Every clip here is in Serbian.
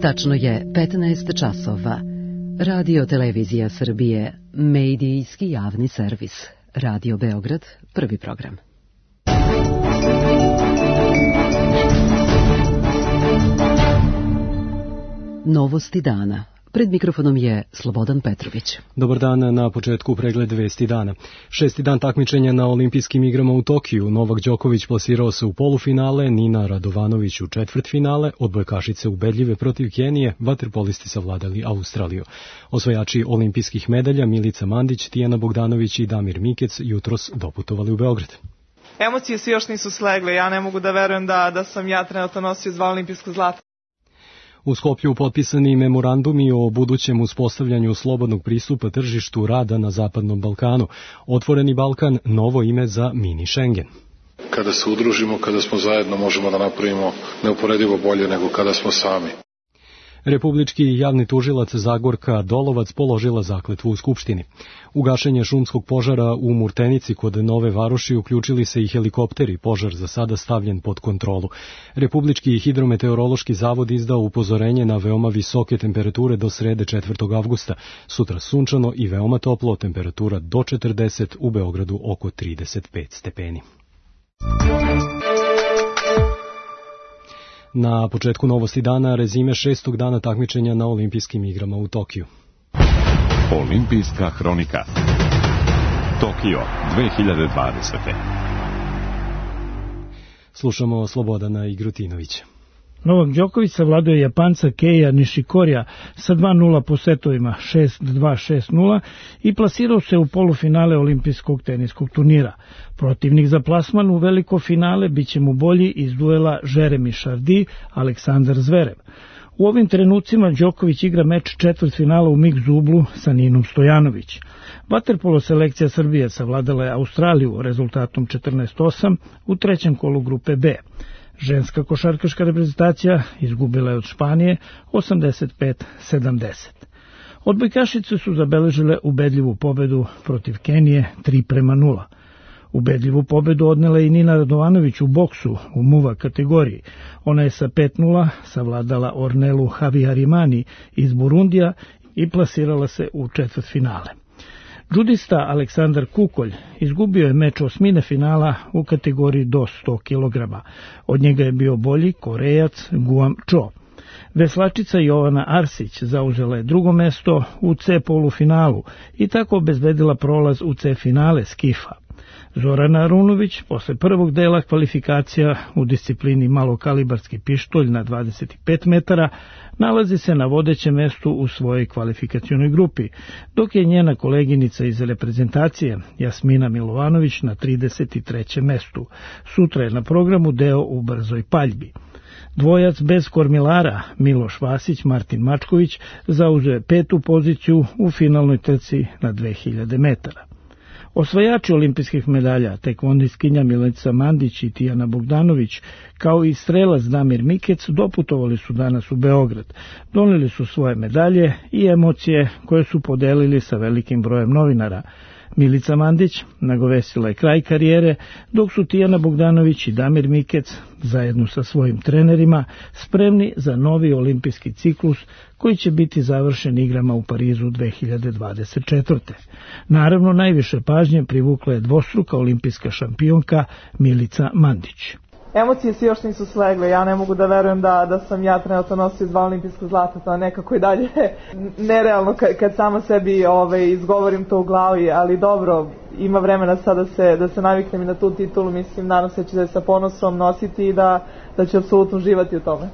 Tačno je 15 časova. Radio Televizija Srbije, medijski javni servis. Radio Beograd, prvi program. Novosti dana. Pred mikrofonom je Slobodan Petrović. Dobar dan, na početku pregled vesti dana. 6. dan takmičenja na olimpijskim igrama u Tokiju. Novak Đoković plasirao se u polufinale, Nina Radovanović u četvrtfinale, odbojkašice ubedljive protiv Kenije, vaterpolisti savladali Australiju. Osvajači olimpijskih medalja Milica Mandić, Tijana Bogdanović i Damir Mikec jutros doputovali u Beograd. Emocije se još nisu slegle, ja ne mogu da verujem da sam ja trenutno nosio 2 olimpijska zlata. U Skoplju potpisani memorandumi o budućem uspostavljanju slobodnog pristupa tržištu rada na Zapadnom Balkanu. Otvoreni Balkan, novo ime za mini Schengen. Kada se udružimo, kada smo zajedno, možemo da napravimo neuporedivo bolje nego kada smo sami. Republički javni tužilac Zagorka Dolovac položila zakletvu u Skupštini. U gašenje šumskog požara u Murtenici kod Nove Varoši uključili se i helikopteri, požar za sada stavljen pod kontrolu. Republički hidrometeorološki zavod izdao upozorenje na veoma visoke temperature do srede 4. avgusta. Sutra sunčano i veoma toplo, temperatura do 40, u Beogradu oko 35 stepeni. Na početku novosti dana rezime 6. dana takmičenja na olimpijskim igrama u Tokiju. Olimpijska hronika. Tokio 2020. Slušamo Slobodana Igrutinovića. Novak Đoković savladao je Japanca Keija Nishikorija sa 2-0 po setovima 6-2, 6-0 i plasirao se u polufinale olimpijskog teniskog turnira. Protivnik za plasman u veliko finale biće mu bolji iz duela Jeremy Chardy, Aleksandar Zverev. U ovim trenucima Đoković igra meč četvrtfinala u mix dublu sa Ninom Stojanović. Vaterpolo selekcija Srbije savladala je Australiju rezultatom 14-8 u trećem kolu grupe B. Ženska košarkaška reprezentacija izgubila je od Španije 85-70. Odbojkašice su zabeležile ubedljivu pobedu protiv Kenije 3-0. Ubedljivu pobedu odnela i Nina Radovanović u boksu u muva kategoriji. Ona je sa 5-0 savladala Ornelu Haviharimani iz Burundija i plasirala se u četvrtfinale. Džudista Aleksandar Kukolj izgubio je meč osmine finala u kategoriji do 100 kg. Od njega je bio bolji Korejac Guam Cho. Veslačica Jovana Arsić zauzela je drugo mesto u C polufinalu i tako obezbedila prolaz u C finale skifa. Zorana Arunović posle prvog dela kvalifikacija u disciplini malokalibarski pištolj na 25 metara nalazi se na vodećem mestu u svojoj kvalifikacionoj grupi, dok je njena koleginica iz reprezentacije Jasmina Milovanović na 33. mestu. Sutra je na programu deo u brzoj paljbi. Dvojac bez kormilara Miloš Vasić, Martin Mačković zauzeo je 5. poziciju u finalnoj trci na 2000 metara. Osvajači olimpijskih medalja, tekvondistkinja Milica Mandić i Tijana Bogdanović, kao i strelac Damir Mikec, doputovali su danas u Beograd. Doneli su svoje medalje i emocije koje su podelili sa velikim brojem novinara. Milica Mandić nagovestila je kraj karijere, dok su Tijana Bogdanović i Damir Mikec, zajedno sa svojim trenerima, spremni za novi olimpijski ciklus koji će biti završen igrama u Parizu 2024. Naravno, najviše pažnje privukla je dvostruka olimpijska šampionka Milica Mandić. Emocije se još nisu slegle, ja ne mogu da verujem da sam ja trenutno nosio 2 olimpijska zlata, to nekako i dalje nerealno kad sama sebi izgovorim to u glavi, ali dobro, ima vremena sad da se naviknem i na tu titulu, mislim, nadam se da će sa ponosom nositi i da će apsolutno uživati u tome.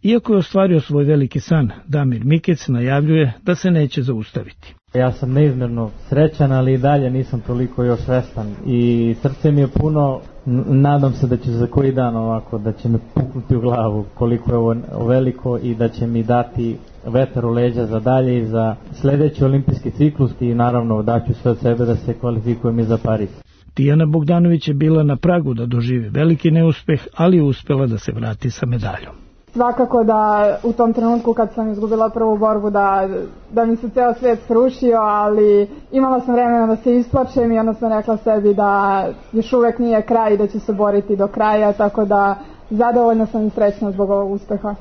Iako je ostvario svoj veliki san, Damir Mikec najavljuje da se neće zaustaviti. Ja sam neizmjerno srećan, ali i dalje nisam toliko još svestan i srce mi je puno. Nadam se da će za koji dan ovako, da će me puknuti u glavu koliko je ovo veliko i da će mi dati vetar u leđa za dalje i za sljedeći olimpijski ciklus i naravno daću sve od sebe da se kvalifikujem i za Pariz. Tijana Bogdanović je bila na pragu da doživi veliki neuspeh, ali je uspela da se vrati sa medaljom. Svakako da u tom trenutku kad sam izgubila prvu borbu da mi se ceo svijet srušio, ali imala sam vremena da se isplačem i onda sam rekla sebi da još uvek nije kraj i da ću se boriti do kraja, tako da zadovoljna sam i srećna zbog ovog uspeha.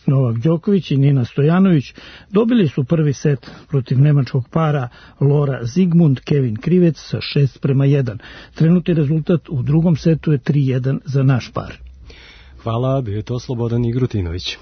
Novak Đoković i Nina Stojanović dobili su prvi set protiv nemačkog para Laura Zigmund Kevin Krivec sa 6:1. Trenutni rezultat u drugom setu je 3:1 za naš par. Hvala, bio je to Slobodan Igrutinović.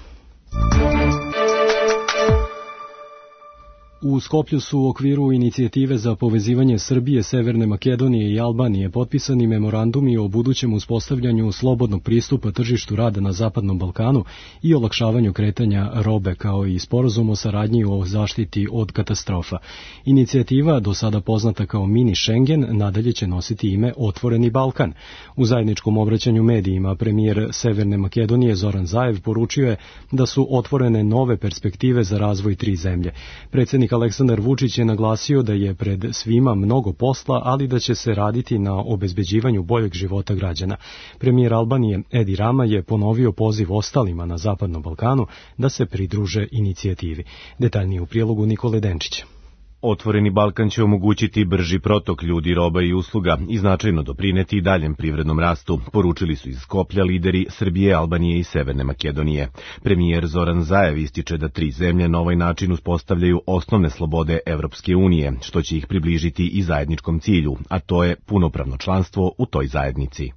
U Skoplju su u okviru inicijative za povezivanje Srbije, Severne Makedonije i Albanije potpisani memorandumi o budućem uspostavljanju slobodnog pristupa tržištu rada na Zapadnom Balkanu i olakšavanju kretanja robe, kao i sporazum o saradnji o zaštiti od katastrofa. Inicijativa, do sada poznata kao Mini Schengen, nadalje će nositi ime Otvoreni Balkan. U zajedničkom obraćanju medijima premijer Severne Makedonije Zoran Zaev poručio je da su otvorene nove perspektive za razvoj tri zemlje. Predsjednik Aleksandar Vučić je naglasio da je pred svima mnogo posla, ali da će se raditi na obezbeđivanju boljeg života građana. Premijer Albanije Edi Rama je ponovio poziv ostalima na Zapadnom Balkanu da se pridruže inicijativi. Detaljnije u prilogu Nikole Denčića. Otvoreni Balkan će omogućiti brži protok ljudi, roba i usluga i značajno doprineti daljem privrednom rastu, poručili su iz Skoplja lideri Srbije, Albanije i Severne Makedonije. Premijer Zoran Zaev ističe da tri zemlje na ovaj način uspostavljaju osnovne slobode Evropske unije, što će ih približiti i zajedničkom cilju, a to je punopravno članstvo u toj zajednici.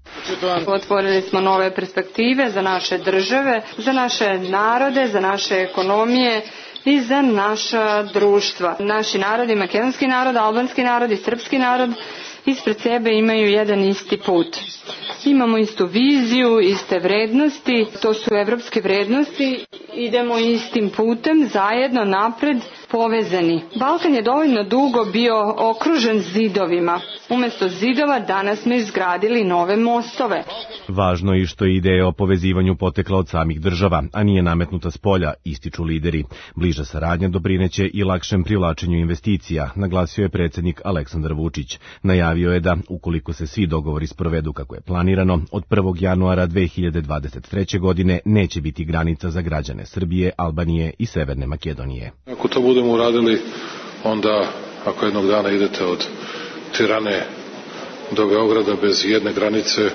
Otvorili smo nove perspektive za naše države, za naše narode, za naše ekonomije i za naša društva. Naši narodi, makedonski narod, albanski narod i srpski narod ispred sebe imaju jedan isti put. Imamo istu viziju, iste vrednosti, to su evropske vrednosti, idemo istim putem, zajedno, napred, povezani. Balkan je dovoljno dugo bio okružen zidovima. Umjesto zidova danas smo izgradili nove mostove. Važno je što je ideja o povezivanju potekla od samih država, a nije nametnuta s polja, ističu lideri. Bliža saradnja doprineće i lakšem privlačenju investicija, naglasio je predsjednik Aleksandar Vučić. Najavio je da, ukoliko se svi dogovori sprovedu kako je planirano, od 1. januara 2023. godine neće biti granica za građane Srbije, Albanije i Severne Makedonije. Ako to budemo uradili, onda ako jednog dana idete od Tirane do Beograda bez jedne granice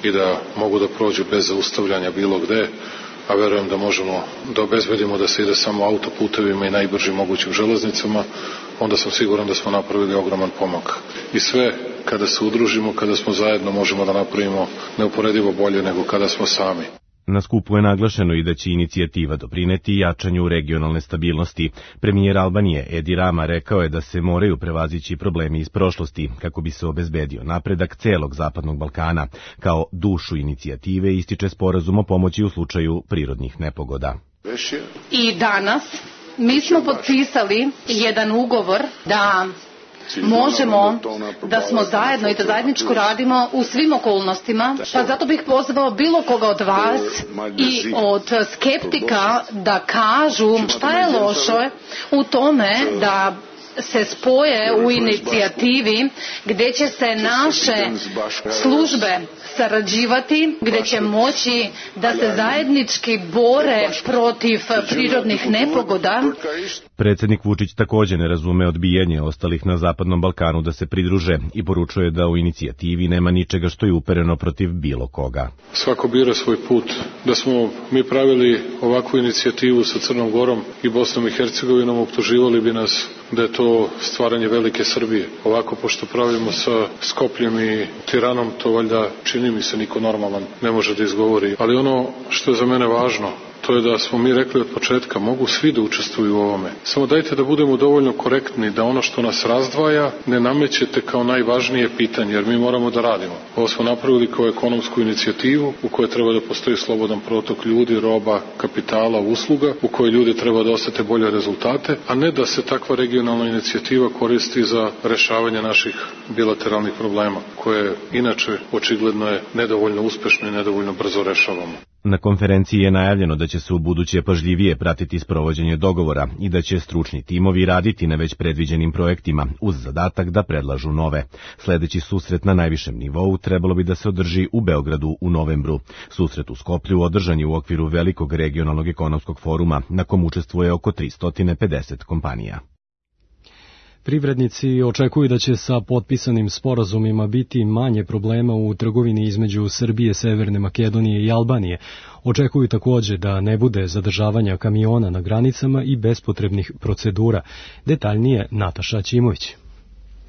i da mogu da prođu bez zaustavljanja bilo gde, a verujem da možemo da obezbedimo da se ide samo autoputevima i najbržim mogućim železnicama, onda sam siguran da smo napravili ogroman pomak. I sve kada se udružimo, kada smo zajedno, možemo da napravimo neuporedivo bolje nego kada smo sami. Na skupu je naglašeno i da će inicijativa doprineti jačanju regionalne stabilnosti. Premijer Albanije Edi Rama rekao je da se moraju prevazići problemi iz prošlosti kako bi se obezbedio napredak celog Zapadnog Balkana. Kao dušu inicijative ističe sporazum o pomoći u slučaju prirodnih nepogoda. I danas mi smo potpisali jedan ugovor da možemo da smo zajedno i da zajedničko radimo u svim okolnostima, pa zato bih pozvao bilo koga od vas i od skeptika da kažu šta je loše u tome da se spoje u inicijativi gdje će se naše službe sarađivati, gdje će moći da se zajednički bore protiv prirodnih nepogoda. Predsjednik Vučić također ne razume odbijanje ostalih na Zapadnom Balkanu da se pridruže i poručuje da u inicijativi nema ničega što je upereno protiv bilo koga. Svako bira svoj put. Da smo mi pravili ovakvu inicijativu sa Crnom Gorom i Bosnom i Hercegovinom, optuživali bi nas da je to stvaranje velike Srbije. Ovako, pošto pravimo sa Skopljem i Tiranom, to valjda čini mi se niko normalan ne može da izgovori. Ali ono što je za mene važno, to je da smo mi rekli od početka, mogu svi da učestvuju u ovome. Samo dajte da budemo dovoljno korektni, da ono što nas razdvaja ne namećete kao najvažnije pitanje, jer mi moramo da radimo. Ovo smo napravili kao ekonomsku inicijativu u kojoj treba da postoji slobodan protok ljudi, roba, kapitala, usluga, u kojoj ljudi treba da osete bolje rezultate, a ne da se takva regionalna inicijativa koristi za rešavanje naših bilateralnih problema, koje inače očigledno je nedovoljno uspešno i nedovoljno brzo rešavamo. Na konferenciji je najavljeno da će se u buduće pažljivije pratiti sprovođenje dogovora i da će stručni timovi raditi na već predviđenim projektima uz zadatak da predlažu nove. Sledeći susret na najvišem nivou trebalo bi da se održi u Beogradu u novembru. Susret u Skoplju održan je u okviru velikog regionalnog ekonomskog foruma na kom učestvuje oko 350 kompanija. Privrednici očekuju da će sa potpisanim sporazumima biti manje problema u trgovini između Srbije, Severne Makedonije i Albanije. Očekuju takođe da ne bude zadržavanja kamiona na granicama i bespotrebnih procedura. Detaljnije Nataša Ćimović.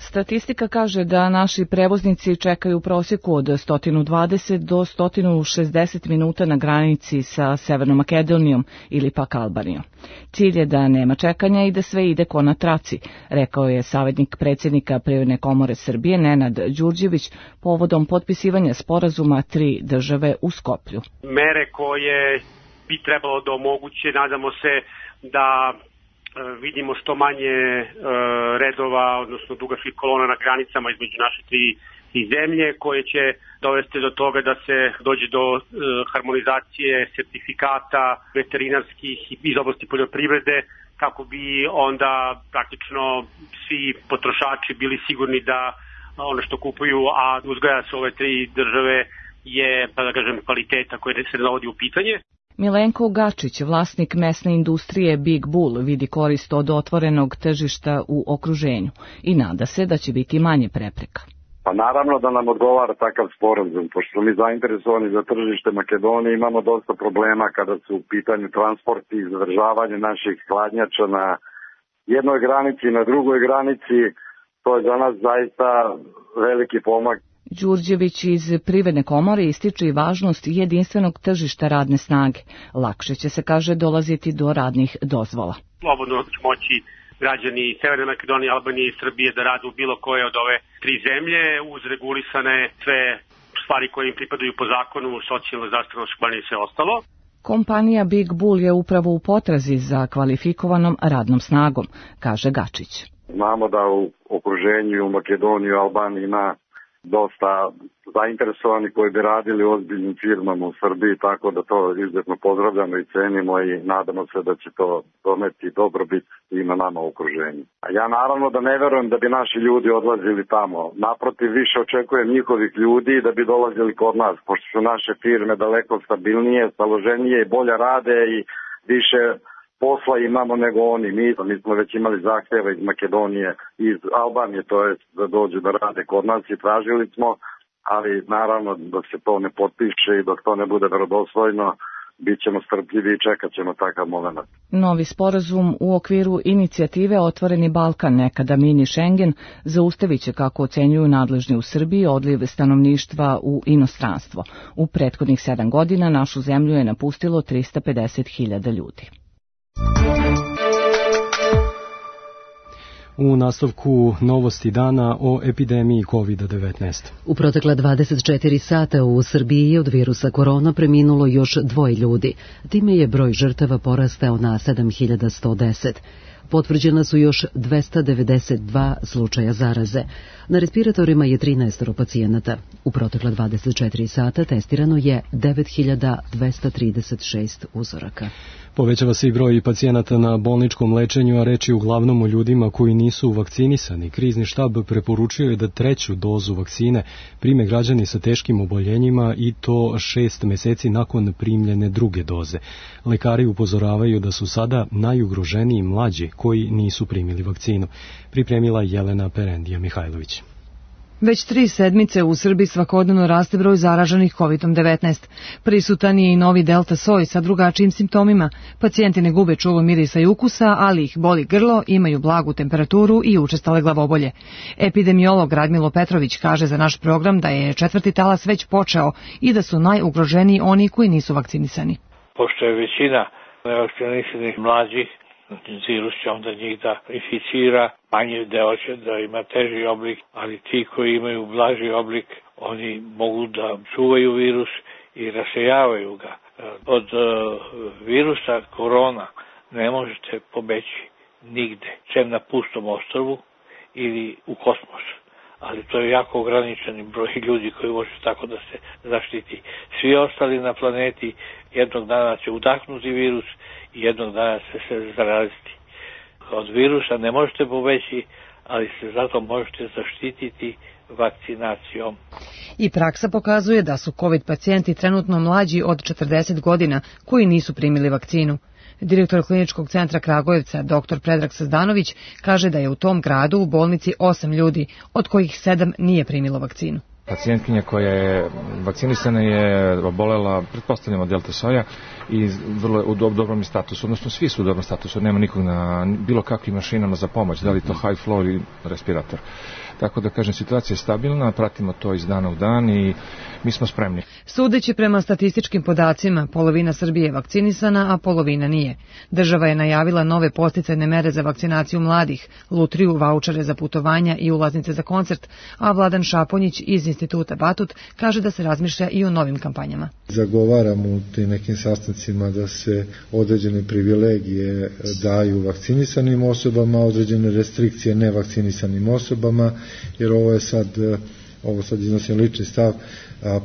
Statistika kaže da naši prevoznici čekaju u prosjeku od 120 do 160 minuta na granici sa Severnom Makedonijom ili pak Albanijom. Cilj je da nema čekanja i da sve ide ko na traci, rekao je savjetnik predsjednika Privredne komore Srbije Nenad Đurđević povodom potpisivanja sporazuma 3 države u Skoplju. Mere koje bi trebalo da omoguće, nadamo se da vidimo što manje redova, odnosno dugih kolona na granicama između naše tri zemlje, koje će dovesti do toga da se dođe do harmonizacije sertifikata veterinarskih iz oblasti poljoprivrede, kako bi onda praktično svi potrošači bili sigurni da ono što kupuju, a uzgaja se ove tri države, je, pa da kažem, kvaliteta koja se dovodi u pitanje. Milenko Gačić, vlasnik mesne industrije Big Bull, vidi korist od otvorenog tržišta u okruženju i nada se da će biti manje prepreka. Pa naravno da nam odgovara takav sporazum, pošto smo mi zainteresovani za tržište Makedonije, imamo dosta problema kada su u pitanju transporti i zadržavanje naših hladnjača na jednoj granici i na drugoj granici. To je za nas zaista veliki pomak. Đurđević iz Privredne komore ističe i važnost jedinstvenog tržišta radne snage. Lakše će se, kaže, dolaziti do radnih dozvola. Slobodno će moći građani Severne Makedonije, Albanije i Srbije da rade u bilo koje od ove tri zemlje, uz regulisane sve stvari koje im pripadaju po zakonu, socijalno, zdravstveno osiguranje i sve ostalo. Kompanija Big Bull je upravo u potrazi za kvalifikovanom radnom snagom, kaže Gačić. Znamo da u okruženju u Makedoniji i Albaniji ima dosta zainteresovani koji bi radili u ozbiljnim firmama u Srbiji, tako da to izuzetno pozdravljamo i cenimo i nadamo se da će to doneti dobrobit i na nama u okruženju. A ja naravno da ne verujem da bi naši ljudi odlazili tamo. Naprotiv, više očekujem njihovih ljudi da bi dolazili kod nas, pošto su naše firme daleko stabilnije, staloženije i bolje rade i više posla imamo nego oni. Mi smo već imali zahtjeve iz Makedonije, iz Albanije, to je da dođu da rade kod nas i tražili smo, ali naravno dok se to ne potpiše i dok to ne bude verodostojno, bit ćemo strpljivi i čekat ćemo takav moment. Novi sporazum u okviru inicijative Otvoreni Balkan, nekada mini Schengen, zaustavit će, kako ocenjuju nadležni u Srbiji, odliv stanovništva u inostranstvo. U prethodnih 7 godina našu zemlju je napustilo 350.000 ljudi. U nastavku novosti dana o epidemiji COVID-19. U protekla 24 sata u Srbiji od virusa korona preminulo još 2 ljudi. Time je broj žrtava porastao na 7110. Potvrđena su još 292 slučaja zaraze. Na respiratorima je 13 pacijenata. U protekla 24 sata testirano je 9236 uzoraka. Povećava se i broj pacijenata na bolničkom lečenju, a reč je uglavnom o ljudima koji nisu vakcinisani. Krizni štab preporučio je da 3. dozu vakcine prime građani sa teškim oboljenjima i to 6 meseci nakon primljene 2. doze. Lekari upozoravaju da su sada najugroženiji mlađi koji nisu primili vakcinu. Pripremila Jelena Perendija Mihajlović. Već 3 sedmice u Srbiji svakodnevno raste broj zaraženih COVID-19. Prisutan je i novi delta soj sa drugačijim simptomima. Pacijenti ne gube čulo mirisa i ukusa, ali ih boli grlo, imaju blagu temperaturu i učestale glavobolje. Epidemiolog Radmilo Petrović kaže za naš program da je 4. talas već počeo i da su najugroženiji oni koji nisu vakcinisani. Pošto je većina nevakcinisanih mlađih, virus će onda njih da inficira, manji deo će da ima teži oblik, ali ti koji imaju blaži oblik, oni mogu da čuvaju virus i rasejavaju ga. Od virusa korona ne možete pobeći nigde, sem na pustom ostrvu ili u kosmos. Ali to je jako ograničeni broj ljudi koji može tako da se zaštiti. Svi ostali na planeti jednog dana će udahnuti virus i jednog dana će se zaraziti. Od virusa ne možete pobeći, ali se zato možete zaštititi vakcinacijom. I praksa pokazuje da su COVID pacijenti trenutno mlađi od 40 godina koji nisu primili vakcinu. Direktor kliničkog centra Kragujevca, dr. Predrag Sazdanović, kaže da je u tom gradu u bolnici 8 ljudi, od kojih 7 nije primilo vakcinu. Pacijentkinja koja je vakcinisana je obolela, pretpostavljamo delta soja i vrlo u dobrom statusu, odnosno svi su u dobrom statusu, nema nikog na bilo kakvim mašinama za pomoć, da li to high flow ili respirator. Tako da kažem, situacija je stabilna, pratimo to iz dana u dan i mi smo spremni. Sudeći prema statističkim podacima, polovina Srbije je vakcinisana, a polovina nije. Država je najavila nove podsticajne mere za vakcinaciju mladih, lutriju, vaučere za putovanja i ulaznice za koncert, a Vladan Šaponjić iz Instituta Batut kaže da se razmišlja i o novim kampanjama. Zagovaram u tim nekim sastancima da se određene privilegije daju vakcinisanim osobama, određene restrikcije nevakcinisanim osobama, jer ovo sad iznosim lični stav,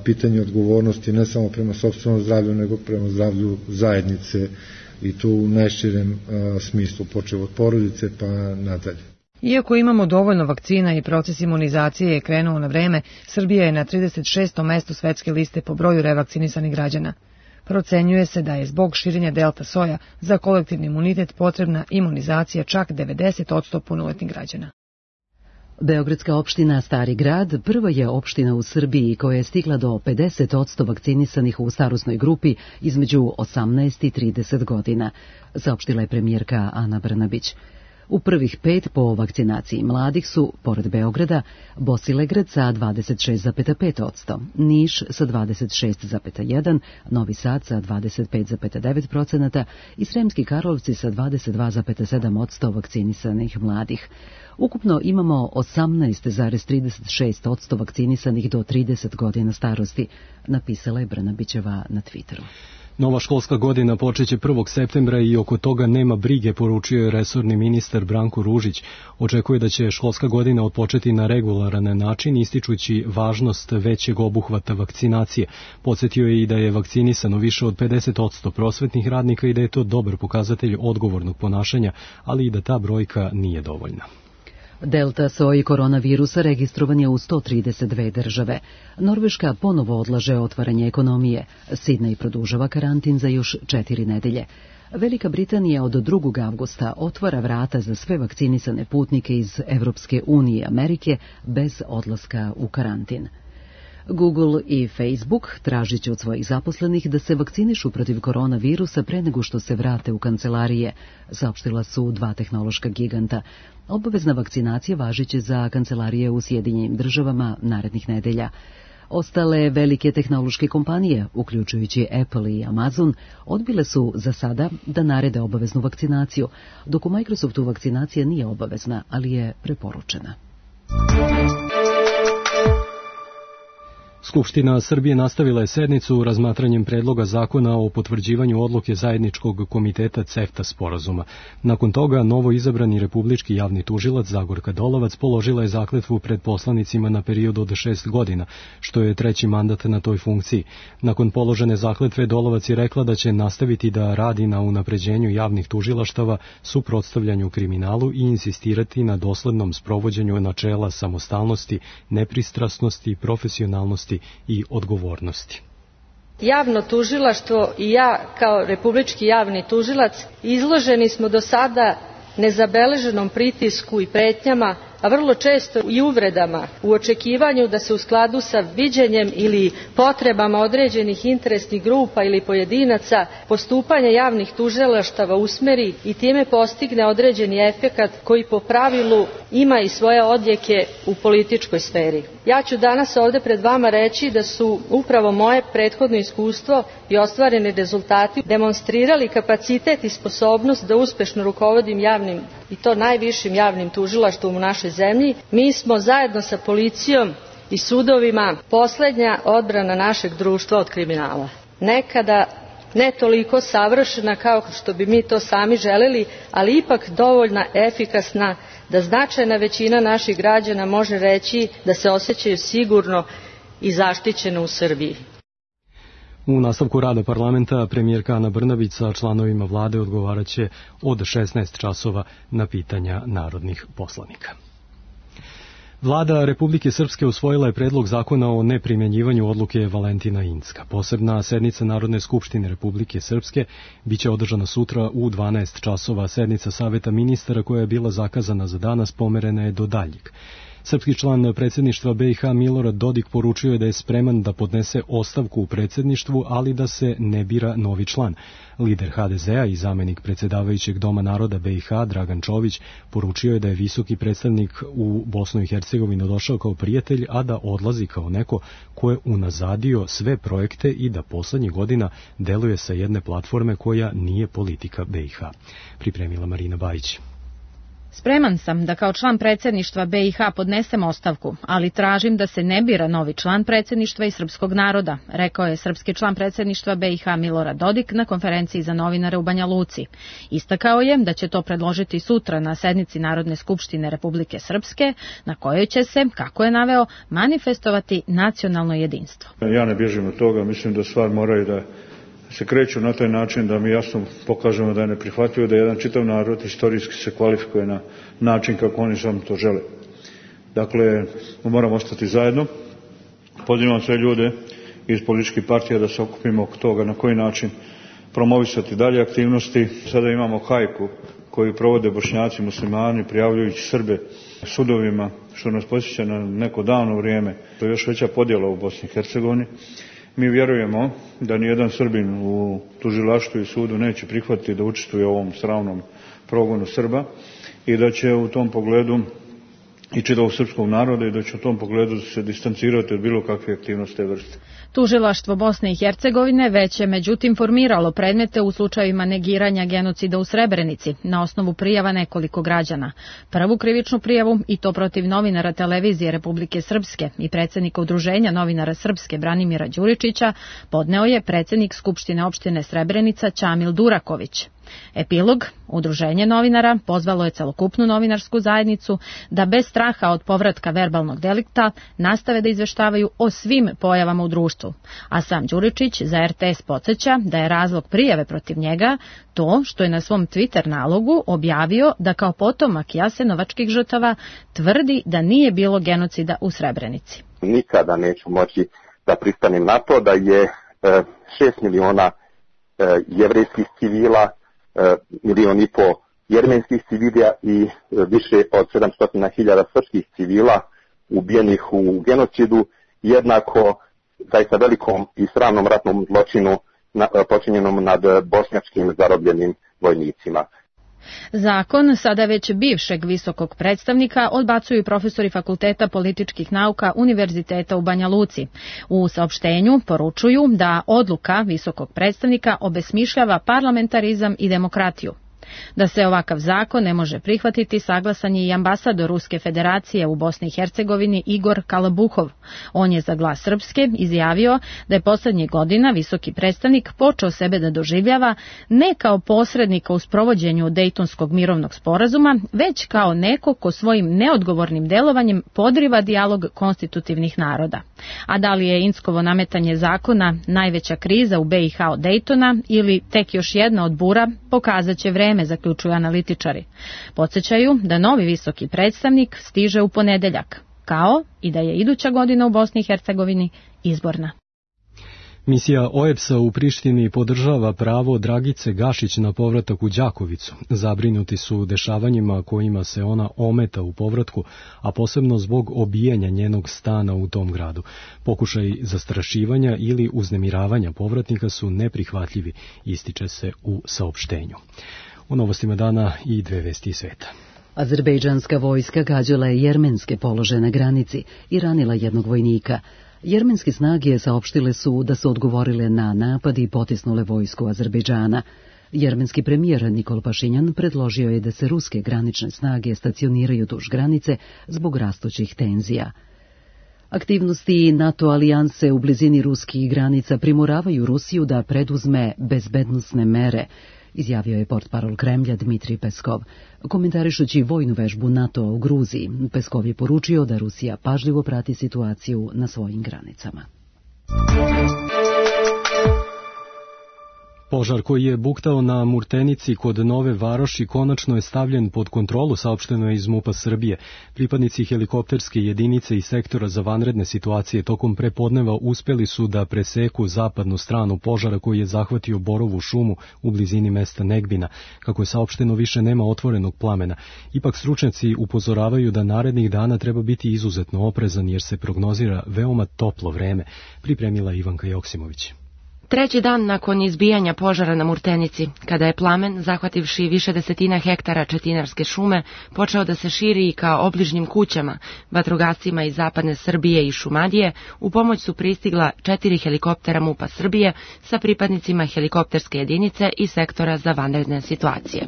pitanje odgovornosti ne samo prema sopstvenom zdravlju, nego prema zdravlju zajednice i tu u najširem smislu, počev od porodice pa nadalje. Iako imamo dovoljno vakcina i proces imunizacije je krenuo na vreme, Srbija je na 36. mestu svetske liste po broju revakcinisanih građana. Procenjuje se da je zbog širenja delta soja za kolektivni imunitet potrebna imunizacija čak 90% punoletnih građana. Beogradska opština Stari grad prva je opština u Srbiji koja je stigla do 50% vakcinisanih u starosnoj grupi između 18 i 30 godina, saopštila je premijerka Ana Brnabić. U prvih 5 po vakcinaciji mladih su, pored Beograda, Bosilegrad sa 26,5%, Niš sa 26,1%, Novi Sad sa 25,9% i Sremski Karlovci sa 22,7% vakcinisanih mladih. Ukupno imamo 18,36% vakcinisanih do 30 godina starosti, napisala je Brnabićeva na Twitteru. Nova školska godina počeće 1. septembra i oko toga nema brige, poručio je resorni ministar Branko Ružić. Očekuje da će školska godina odpočeti na regularan način, ističući važnost većeg obuhvata vakcinacije. Podsjetio je i da je vakcinisano više od 50% prosvetnih radnika i da je to dobar pokazatelj odgovornog ponašanja, ali i da ta brojka nije dovoljna. Delta soj koronavirusa registrovan je u 132 države. Norveška ponovo odlaže otvaranje ekonomije. Sidnej produžava karantin za još 4 nedelje. Velika Britanija od 2. avgusta otvara vrata za sve vakcinisane putnike iz Evropske unije i Amerike bez odlaska u karantin. Google i Facebook tražit će od svojih zaposlenih da se vakcinišu protiv koronavirusa pre nego što se vrate u kancelarije, saopštila su 2 tehnološka giganta. Obavezna vakcinacija važiće za kancelarije u Sjedinjenim državama narednih nedelja. Ostale velike tehnološke kompanije, uključujući Apple i Amazon, odbile su za sada da narede obaveznu vakcinaciju, dok u Microsoftu vakcinacija nije obavezna, ali je preporučena. Skupština Srbije nastavila je sednicu razmatranjem predloga zakona o potvrđivanju odluke zajedničkog komiteta CEFTA sporazuma. Nakon toga, novo izabrani republički javni tužilac Zagorka Dolovac položila je zakletvu pred poslanicima na period od 6 godina, što je 3. mandat na toj funkciji. Nakon položene zakletve, Dolovac je rekla da će nastaviti da radi na unapređenju javnih tužilaštava, suprotstavljanju kriminalu i insistirati na doslednom sprovođenju načela samostalnosti, nepristrasnosti, profesionalnosti i odgovornosti. Javno tužilaštvo i ja kao republički javni tužilac izloženi smo do sada nezabeleženom pritisku i pretnjama, a vrlo često i uvredama u očekivanju da se u skladu sa viđenjem ili potrebama određenih interesnih grupa ili pojedinaca postupanje javnih tužilaštava usmeri i time postigne određeni efekat koji po pravilu ima i svoje odjeke u političkoj sferi. Ja ću danas ovde pred vama reći da su upravo moje prethodno iskustvo i ostvareni rezultati demonstrirali kapacitet i sposobnost da uspešno rukovodim javnim i to najvišim javnim tužilaštvom u našoj zemlji. Mi smo zajedno sa policijom i sudovima poslednja odbrana našeg društva od kriminala. Nekada ne toliko savršena kao što bi mi to sami želeli, ali ipak dovoljna efikasna da značajna većina naših građana može reći da se osjećaju sigurno i zaštićeno u Srbiji. U nastavku rada parlamenta premijerka Ana Brnabić sa članovima vlade odgovaraće od 16 časova na pitanja narodnih poslanika. Vlada Republike Srpske usvojila je predlog zakona o neprimjenjivanju odluke Valentina Incka. Posebna sednica Narodne skupštine Republike Srpske biće održana sutra u 12 časova. Sednica Saveta ministara koja je bila zakazana za danas pomerena je do daljeg. Srpski član predsjedništva BiH Milorad Dodik poručio je da je spreman da podnese ostavku u predsjedništvu, ali da se ne bira novi član. Lider HDZ-a i zamenik predsjedavajućeg Doma naroda BiH Dragan Čović poručio je da je visoki predstavnik u Bosnu i Hercegovinu došao kao prijatelj, a da odlazi kao neko ko je unazadio sve projekte i da poslednjih godina deluje sa jedne platforme koja nije politika BiH. Pripremila Marina Bajić. Spreman sam da kao član predsjedništva BiH podnesem ostavku, ali tražim da se ne bira novi član predsjedništva i srpskog naroda, rekao je srpski član predsjedništva BiH Milorad Dodik na konferenciji za novinare u Banja Luci. Istakao je da će to predložiti sutra na sednici Narodne skupštine Republike Srpske, na kojoj će se, kako je naveo, manifestovati nacionalno jedinstvo. Ja ne bježim od toga, mislim da stvar moraju da se kreću na taj način da mi jasno pokažemo da je neprihvatljivo da jedan čitav narod istorijski se kvalifikuje na način kako oni samo to žele. Dakle, moramo ostati zajedno. Pozivam sve ljude iz političkih partija da se okupimo oko toga na koji način promovisati dalje aktivnosti. Sada imamo hajku koju provode Bošnjaci, muslimani, prijavljujući Srbe sudovima, što nas podsjeća na neko davno vrijeme. To je još veća podjela u Bosni i Hercegovini. Mi vjerujemo da nijedan Srbin u tužilaštvu i sudu neće prihvatiti da učestvuje u ovom sramnom progonu Srba i da će u tom pogledu i čitavog srpskog naroda i da će u tom pogledu se distancirati od bilo kakve aktivnosti te vrste. Tužilaštvo Bosne i Hercegovine već je međutim formiralo predmete u slučajevima negiranja genocida u Srebrenici na osnovu prijava nekoliko građana. Prvu krivičnu prijavu, i to protiv novinara televizije Republike Srpske i predsjednika Udruženja novinara Srpske Branimira Đuričića, podneo je predsjednik Skupštine opštine Srebrenica Ćamil Duraković. Epilog, Udruženje novinara pozvalo je celokupnu novinarsku zajednicu da bez straha od povratka verbalnog delikta nastave da izveštavaju o svim pojavama u društvu. A sam Đuričić za RTS podsjeća da je razlog prijave protiv njega to što je na svom Twitter nalogu objavio da kao potomak jasenovačkih žrtava tvrdi da nije bilo genocida u Srebrenici. Nikada neću moći da pristanem na to da je 6 miliona jevrejskih civila, 1,5 miliona jermenskih civila i više od 700.000 srpskih civila ubijenih u genocidu, jednako zaista velikom i sramnom ratnom zločinu počinjenom nad bošnjačkim zarobljenim vojnicima. Zakon sada već bivšeg visokog predstavnika odbacuju profesori Fakulteta političkih nauka Univerziteta u Banja Luci. U saopštenju poručuju da odluka visokog predstavnika obesmišljava parlamentarizam i demokratiju. Da se ovakav zakon ne može prihvatiti saglasan je i ambasador Ruske federacije u Bosni i Hercegovini Igor Kalabuhov. On je za Glas Srpske izjavio da je poslednjih godina visoki predstavnik počeo sebe da doživljava ne kao posrednika u sprovođenju Dejtonskog mirovnog sporazuma, već kao neko ko svojim neodgovornim delovanjem podriva dijalog konstitutivnih naroda. A da li je Inckovo nametanje zakona najveća kriza u BiH od Dejtona ili tek još jedna od bura, pokazat će vreme, zaključuju analitičari. Podsjećaju da novi visoki predstavnik stiže u ponedeljak, kao i da je iduća godina u Bosni i Hercegovini izborna. Misija OEBS-a u Prištini podržava pravo Dragice Gašić na povratak u Đakovicu. Zabrinuti su dešavanjima kojima se ona ometa u povratku, a posebno zbog obijanja njenog stana u tom gradu. Pokušaj zastrašivanja ili uznemiravanja povratnika su neprihvatljivi, ističe se u saopštenju. U novostima dana i dve vesti iz sveta. Azerbejdžanska vojska gađala je jermenske položaje na granici i ranila jednog vojnika. Jermenske snage saopštile su da su odgovorile na napad i potisnule vojsku Azerbejdžana. Jermenski premijer Nikol Pašinjan predložio je da se ruske granične snage stacioniraju duž granice zbog rastućih tenzija. Aktivnosti NATO alijanse u blizini ruskih granica primoravaju Rusiju da preduzme bezbednosne mere, izjavio je portparol Kremlja Dmitrij Peskov. Komentarišući vojnu vežbu NATO u Gruziji, Peskov je poručio da Rusija pažljivo prati situaciju na svojim granicama. Požar koji je buktao na Murtenici kod Nove Varoši konačno je stavljen pod kontrolu, saopšteno je iz MUP-a Srbije. Pripadnici helikopterske jedinice i sektora za vanredne situacije tokom prepodneva uspeli su da preseku zapadnu stranu požara koji je zahvatio Borovu šumu u blizini mesta Negbina. Kako je saopšteno, više nema otvorenog plamena. Ipak stručnjaci upozoravaju da narednih dana treba biti izuzetno oprezan jer se prognozira veoma toplo vreme, pripremila Ivanka Joksimović. Treći dan nakon izbijanja požara na Murtenici, kada je plamen, zahvativši više desetina hektara četinarske šume, počeo da se širi i ka obližnjim kućama, vatrogascima iz zapadne Srbije i Šumadije, u pomoć su pristigla 4 helikoptera MUP-a Srbije sa pripadnicima helikopterske jedinice i sektora za vanredne situacije.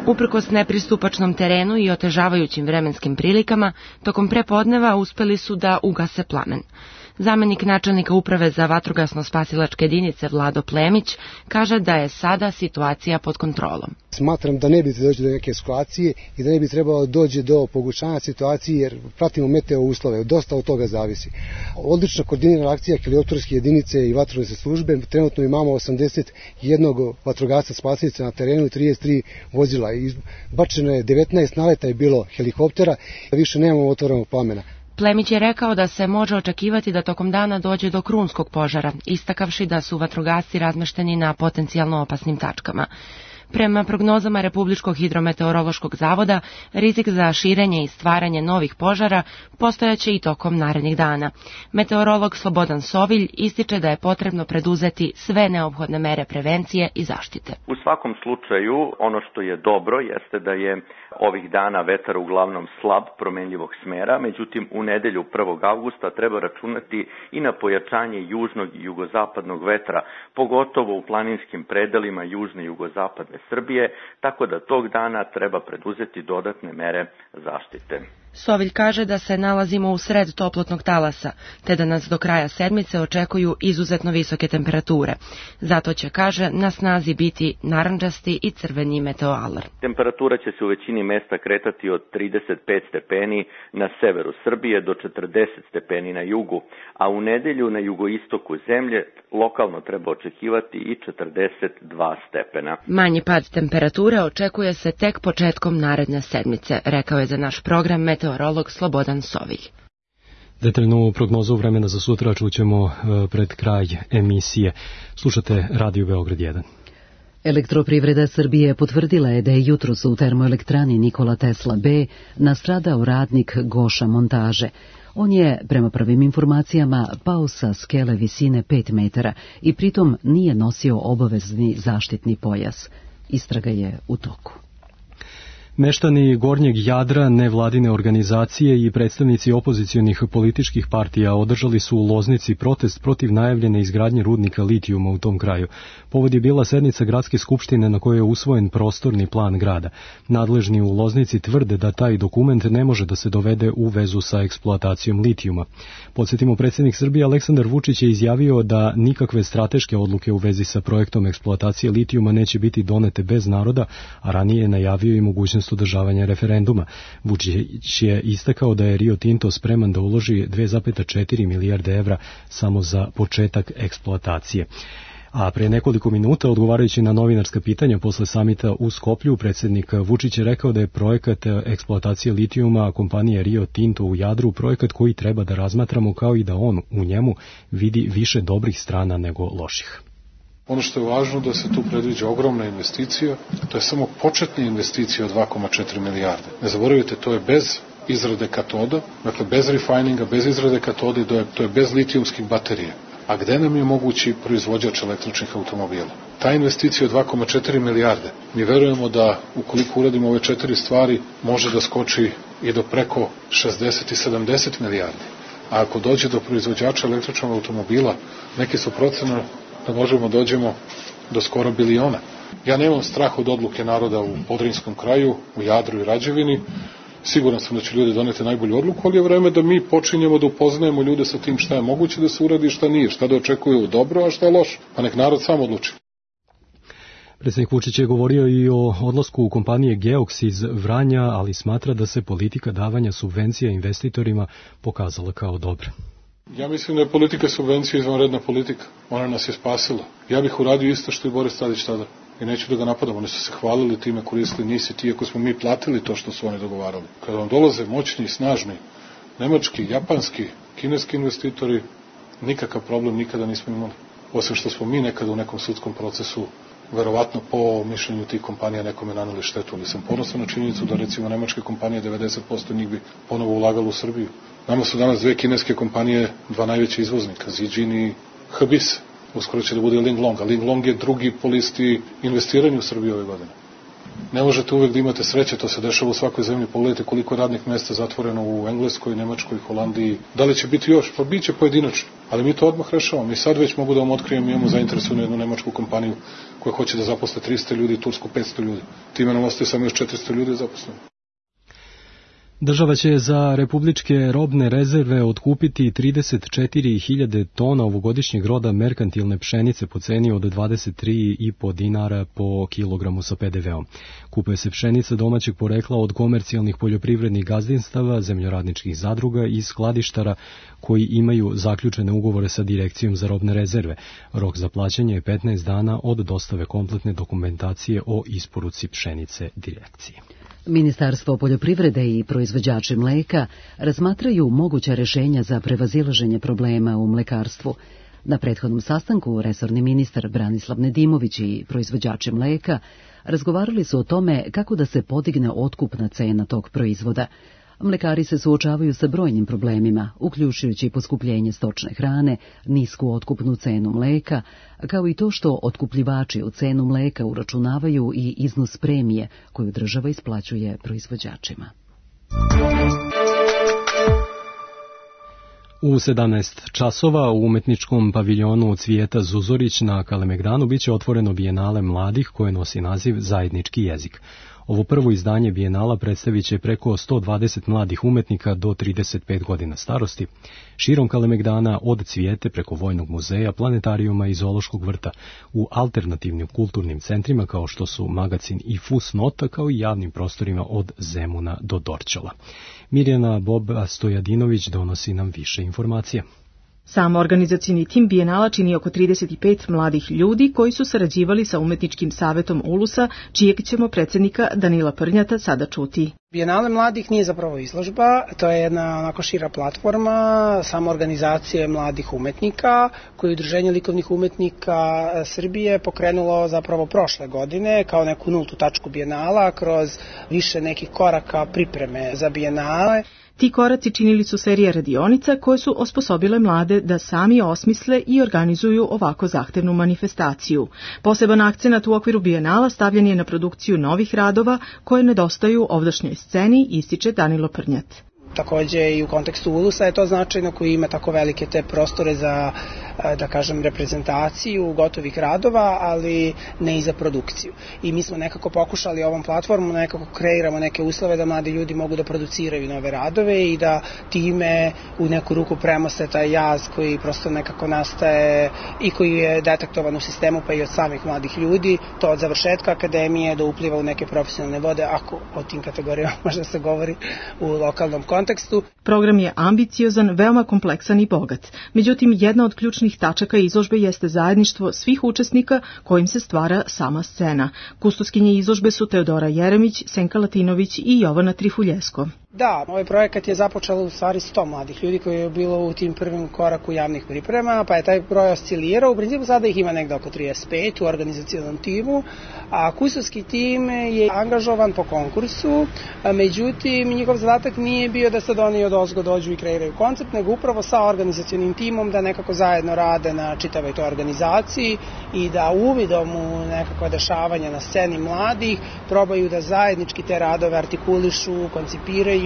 Uprkos nepristupačnom terenu i otežavajućim vremenskim prilikama, tokom prepodneva uspeli su da ugase plamen. Zamenik načelnika uprave za vatrogasno-spasilačke jedinice Vlado Plemić kaže da je sada situacija pod kontrolom. Smatram da ne bi dođe do neke eskalacije i da ne bi trebalo dođe do pogoršanja situacije jer pratimo meteo uslove, dosta od toga zavisi. Odlična koordinirana akcija helikopterske jedinice i vatrogasne službe, trenutno imamo 81 vatrogasca spasilaca na terenu i 33 vozila. Bačeno je 19 naleta je bilo helikoptera, više nemamo otvorenog plamena. Plemić je rekao da se može očekivati da tokom dana dođe do krunskog požara, istakavši da su vatrogasci razmešteni na potencijalno opasnim tačkama. Prema prognozama Republičkog hidrometeorološkog zavoda, rizik za širenje i stvaranje novih požara postojaće i tokom narednih dana. Meteorolog Slobodan Sovilj ističe da je potrebno preduzeti sve neophodne mere prevencije i zaštite. U svakom slučaju, ono što je dobro jeste da je ovih dana vetar uglavnom slab, promenljivog smera, međutim u nedelju 1. avgusta treba računati i na pojačanje južnog i jugozapadnog vetra, pogotovo u planinskim predelima južne i jugozapadne Srbije, tako da tog dana treba preduzeti dodatne mere zaštite. Sovilj kaže da se nalazimo u sred toplotnog talasa, te da nas do kraja sedmice očekuju izuzetno visoke temperature. Zato će, kaže, na snazi biti narandžasti i crveni meteoalarm. Temperatura će se u većini mesta kretati od 35 stepeni na severu Srbije do 40 stepeni na jugu, a u nedelju na jugoistoku zemlje lokalno treba očekivati i 42 stepena. Manji pad temperature očekuje se tek početkom naredne sedmice, rekao je za naš program meteorolog Slobodan Sovilj. Detaljnu prognozu vremena za sutra čućemo pred kraj emisije. Slušate Radio Beograd 1. Elektroprivreda Srbije potvrdila je da je jutros u termoelektrani Nikola Tesla B nastradao radnik Goša montaže. On je, prema prvim informacijama, pao sa skele visine 5 metara i pritom nije nosio obavezni zaštitni pojas. Istraga je u toku. Meštani Gornjeg Jadra, nevladine organizacije i predstavnici opozicionih političkih partija održali su u Loznici protest protiv najavljene izgradnje rudnika litijuma u tom kraju. Povod je bila sednica gradske skupštine na kojoj je usvojen prostorni plan grada. Nadležni u Loznici tvrde da taj dokument ne može da se dovede u vezu sa eksploatacijom litijuma. Podsjetimo, predsjednik Srbije Aleksandar Vučić je izjavio da nikakve strateške odluke u vezi sa projektom eksploatacije litijuma neće biti donete bez naroda, a ranije je najavio i mogućnost održavanja referenduma. Vučić je istakao da je Rio Tinto spreman da uloži 2,4 milijarde evra samo za početak eksploatacije. A pre nekoliko minuta, odgovarajući na novinarska pitanja posle samita u Skoplju, predsjednik Vučić je rekao da je projekat eksploatacije litijuma kompanije Rio Tinto u Jadru projekat koji treba da razmatramo, kao i da on u njemu vidi više dobrih strana nego loših. Ono što je važno da se tu predviđa ogromna investicija, to je samo početna investicija od 2,4 milijarde. Ne zaboravite, to je bez izrade katoda, dakle bez refininga, bez izrade katode, to je bez litijumskih baterija. A gde nam je mogući proizvođač električnih automobila? Ta investicija od 2,4 milijarde, mi verujemo da ukoliko uradimo ove 4 stvari, može da skoči i do preko 60 i 70 milijardi. A ako dođe do proizvođača električnog automobila, neki su procene da možemo dođemo do skoro biliona. Ja nemam strah od odluke naroda u Podrinjskom kraju, u Jadru i Rađevini. Siguran sam da će ljudi doneti najbolju odluku, ali je vreme da mi počinjemo da upoznajemo ljude sa tim šta je moguće da se uradi i šta nije, šta da očekuju dobro, a šta je loše. Pa nek narod sam odluči. Predsjednik Vučić je govorio i o odlasku kompanije Geox iz Vranja, ali smatra da se politika davanja subvencija investitorima pokazala kao dobra. Ja mislim da je politika subvencija izvanredna politika. Ona nas je spasila. Ja bih uradio isto što i Boris Tadić tada. I neću da ga napadam. Oni su se hvalili time, koristili, nisi ti, ako smo mi platili to što su oni dogovarali. Kada vam dolaze moćni, snažni, nemački, japanski, kineski investitori, nikakav problem nikada nismo imali. Osim što smo mi nekada u nekom sudskom procesu, verovatno po mišljenju tih kompanija nekome naneli štetu, ali sam ponosan na činjenicu da recimo nemačke kompanije 90% njih bi ponovo ulagalo u Srbiju. Nama su danas dve kineske kompanije, dva najveća izvoznika, Zijin i Habis. Uskoro će da bude Linglong, a Linglong je drugi po listi investiranja u Srbiju ove godine. Ne možete uvek da imate sreće, to se dešava u svakoj zemlji. Pogledajte koliko je radnih mesta zatvoreno u Engleskoj, Nemačkoj, Holandiji. Da li će biti još? Pa bit će pojedinačno. Ali mi to odmah rešavamo. Mi sad već mogu da vam otkrijem, imamo zainteresovanu jednu nemačku kompaniju koja hoće da zaposle 300 ljudi, Tursku 500 ljudi. Time nam ostaje samo još 400 ljudi zaposleno. Država će za republičke robne rezerve otkupiti 34.000 tona ovogodišnjeg roda merkantilne pšenice po ceni od 23,5 dinara po kilogramu sa PDV-om. Kupuje se pšenica domaćeg porekla od komercijalnih poljoprivrednih gazdinstava, zemljoradničkih zadruga i skladištara koji imaju zaključene ugovore sa Direkcijom za robne rezerve. Rok za plaćanje je 15 dana od dostave kompletne dokumentacije o isporuci pšenice Direkciji. Ministarstvo poljoprivrede i proizvođači mleka razmatraju moguća rešenja za prevazilaženje problema u mlekarstvu. Na prethodnom sastanku resorni ministar Branislav Nedimović i proizvođači mleka razgovarali su o tome kako da se podigne otkupna cena tog proizvoda. Mlekari se suočavaju sa brojnim problemima, uključujući poskupljenje stočne hrane, nisku otkupnu cenu mleka, kao i to što otkupljivači u cenu mleka uračunavaju i iznos premije koju država isplaćuje proizvođačima. U 17 časova u umetničkom paviljonu Cvijeta Zuzorić na Kalemegdanu biće otvoreno bijenale mladih koje nosi naziv Zajednički jezik. Ovo prvo izdanje bijenala predstavit će preko 120 mladih umetnika do 35 godina starosti, širom Kalemegdana od Cvijete preko Vojnog muzeja, planetarijuma i zoološkog vrta, u alternativnim kulturnim centrima kao što su Magacin i Fusnota, kao i javnim prostorima od Zemuna do Dorćola. Mirjana Boba Stojadinović donosi nam više informacija. Sam organizacioni tim bijenala čini oko 35 mladih ljudi koji su sarađivali sa umetničkim savetom Ulusa, čijeg ćemo predsjednika Danila Prnjata sada čuti. Bijenale mladih nije zapravo izložba, to je jedna onako šira platforma samoorganizacije mladih umetnika koju je Udruženje likovnih umetnika Srbije pokrenulo zapravo prošle godine kao neku nultu tačku bijenala kroz više nekih koraka pripreme za bijenale. Ti koraci činili su serije radionica koje su osposobile mlade da sami osmisle i organizuju ovako zahtevnu manifestaciju. Poseban akcenat u okviru bijenala stavljen je na produkciju novih radova koje nedostaju ovdašnjoj sceni, ističe Danilo Prnjat. Takođe i u kontekstu Ulusa je to značajno koji ima tako velike te prostore za, da kažem, reprezentaciju gotovih radova, ali ne i za produkciju. I mi smo nekako pokušali ovom platformom nekako kreiramo neke uslove da mladi ljudi mogu da produciraju nove radove i da time u neku ruku premoste taj jaz koji prosto nekako nastaje i koji je detektovan u sistemu pa i od samih mladih ljudi, to od završetka akademije do upliva u neke profesionalne vode, ako o tim kategorijama možda se govori u lokalnom kontekstu. Program je ambiciozan, veoma kompleksan i bogat. Međutim, jedna od ključnih tačaka izložbe jeste zajedništvo svih učesnika kojim se stvara sama scena. Kustoskinje izložbe su Teodora Jeremić, Senka Latinović i Jovana Trifuljesko. Da, ovaj projekat je započelo u stvari 100 mladih ljudi koji je bilo u tim prvim koraku javnih priprema, pa je taj broj oscilirao. U principu sada ih ima negde oko 35 u organizacionalnom timu, a kustosski tim je angažovan po konkursu, međutim njihov zadatak nije bio da sad oni od ozgo dođu i kreiraju koncept, nego upravo sa organizacionim timom da nekako zajedno rade na čitavoj toj organizaciji i da uvidom u nekakva dešavanja na sceni mladih probaju da zajednički te radove artikulišu, koncipiraju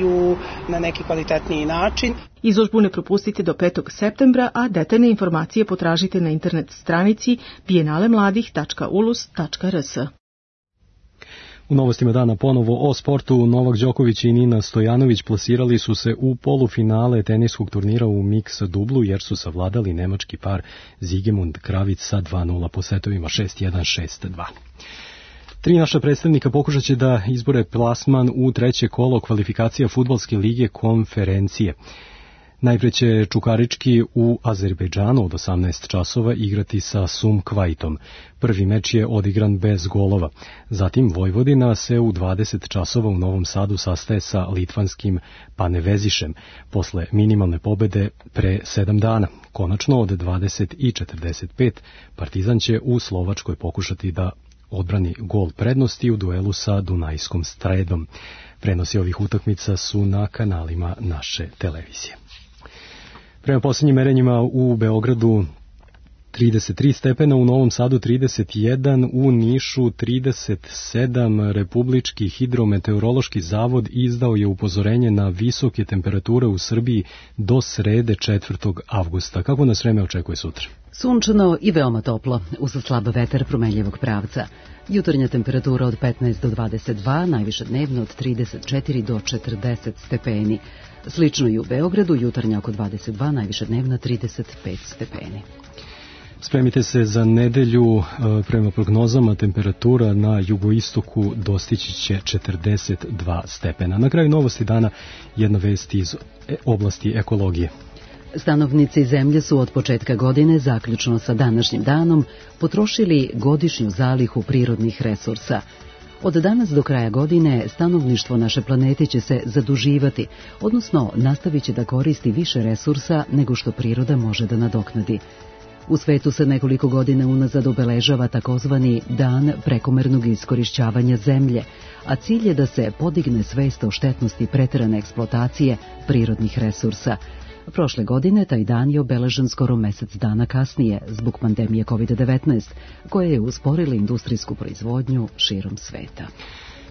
na neki kvalitetniji način. Izložbu ne propustite do 5. septembra, a detaljne informacije potražite na internet stranici bijenalemladih.ulus.rs. U novostima dana ponovo o sportu. Novak Đoković i Nina Stojanović plasirali su se u polufinale teniskog turnira u mix dublu jer su savladali nemački par Zigemund Kravic sa 2:0 po setovima 6:1, 6:2. 3 naša predstavnika pokušat će da izbore plasman u treće kolo kvalifikacija fudbalske lige konferencije. Najpre će Čukarički u Azerbejdžanu od 18 časova igrati sa Sumkvajtom. Prvi meč je odigran bez golova. Zatim Vojvodina se u 20 časova u Novom Sadu sastaje sa litvanskim Panevezišem posle minimalne pobede pre 7 dana. Konačno od 20:45 Partizan će u Slovačkoj pokušati da odbrani gol prednosti u duelu sa Dunajskom Stredom. Prenosi ovih utakmica su na kanalima naše televizije. Prema posljednjim merenjima u Beogradu 33 stepena, u Novom Sadu 31, u Nišu 37. Republički hidrometeorološki zavod izdao je upozorenje na visoke temperature u Srbiji do srede 4. avgusta. Kako nas vreme očekuje sutra? Sunčano i veoma toplo, uz slab vetar promenljivog pravca. Jutarnja temperatura od 15 do 22, najviše dnevno od 34 do 40 stepeni. Slično i u Beogradu, jutarnja oko 22, najviše dnevna 35 stepeni. Spremite se za nedelju, prema prognozama temperatura na jugoistoku dostići će 42 stepena. Na kraju novosti dana jedna vest iz oblasti ekologije. Stanovnici zemlje su od početka godine, zaključno sa današnjim danom, potrošili godišnju zalihu prirodnih resursa. Od danas do kraja godine stanovništvo naše planete će se zaduživati, odnosno nastavit će da koristi više resursa nego što priroda može da nadoknadi. U svetu se nekoliko godina unazad obeležava takozvani Dan prekomernog iskorišćavanja zemlje, a cilj je da se podigne svest o štetnosti preterane eksploatacije prirodnih resursa. Prošle godine taj dan je obeležen skoro mesec dana kasnije zbog pandemije COVID-19, koja je usporila industrijsku proizvodnju širom sveta.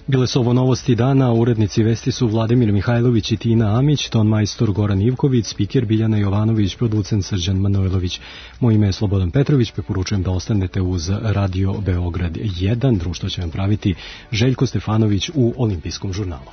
Bile su ovo novosti dana, urednici vesti su Vladimir Mihajlović i Tina Amić, ton majstor Goran Ivković, spiker Biljana Jovanović, producent Srđan Manojlović. Moje ime je Slobodan Petrović, preporučujem da ostanete uz Radio Beograd 1, društvo će vam praviti Željko Stefanović u Olimpijskom žurnalu.